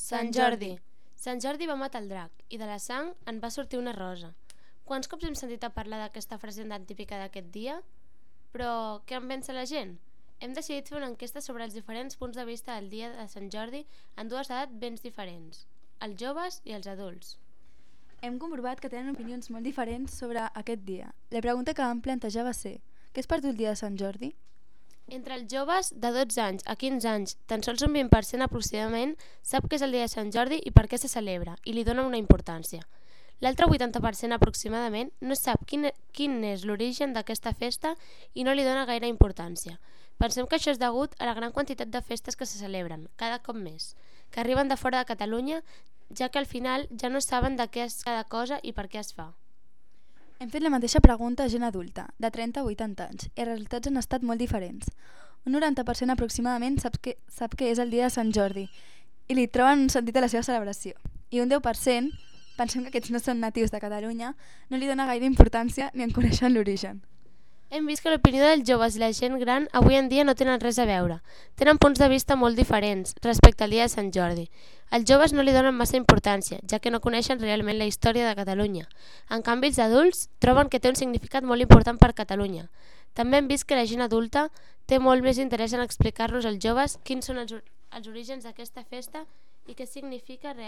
Sant Jordi. Sant Jordi va matar el drac i de la sang en va sortir una rosa. Quants cops hem sentit a parlar d'aquesta frase tan típica d'aquest dia? Però què en pensa la gent? Hem decidit fer una enquesta sobre els diferents punts de vista del dia de Sant Jordi en dues edats ben diferents, els joves i els adults. Hem comprovat que tenen opinions molt diferents sobre aquest dia. La pregunta que vam plantejar va ser: què és per tu el dia de Sant Jordi? Entre els joves de 12 anys a 15 anys, tan sols un 20% aproximadament sap què és el dia de Sant Jordi i per què se celebra, i li dona una importància. L'altre 80% aproximadament no sap quin és l'origen d'aquesta festa i no li dona gaire importància. Pensem que això és degut a la gran quantitat de festes que se celebren, cada cop més, que arriben de fora de Catalunya, ja que al final ja no saben de què és cada cosa i per què es fa. Hem fet la mateixa pregunta a gent adulta, de 30 a 80 anys, i els resultats han estat molt diferents. Un 90% aproximadament sap que és el dia de Sant Jordi i li troben un sentit a la seva celebració. I un 10%, pensem que aquests no són natius de Catalunya, no li dona gaire importància ni en coneixen l'origen. Hem vist que l'opinió dels joves i la gent gran avui en dia no tenen res a veure. Tenen punts de vista molt diferents respecte al dia de Sant Jordi. Els joves no li donen massa importància, ja que no coneixen realment la història de Catalunya. En canvi, els adults troben que té un significat molt important per Catalunya. També hem vist que la gent adulta té molt més interès en explicar-nos als joves quins són els orígens d'aquesta festa i què significa realment.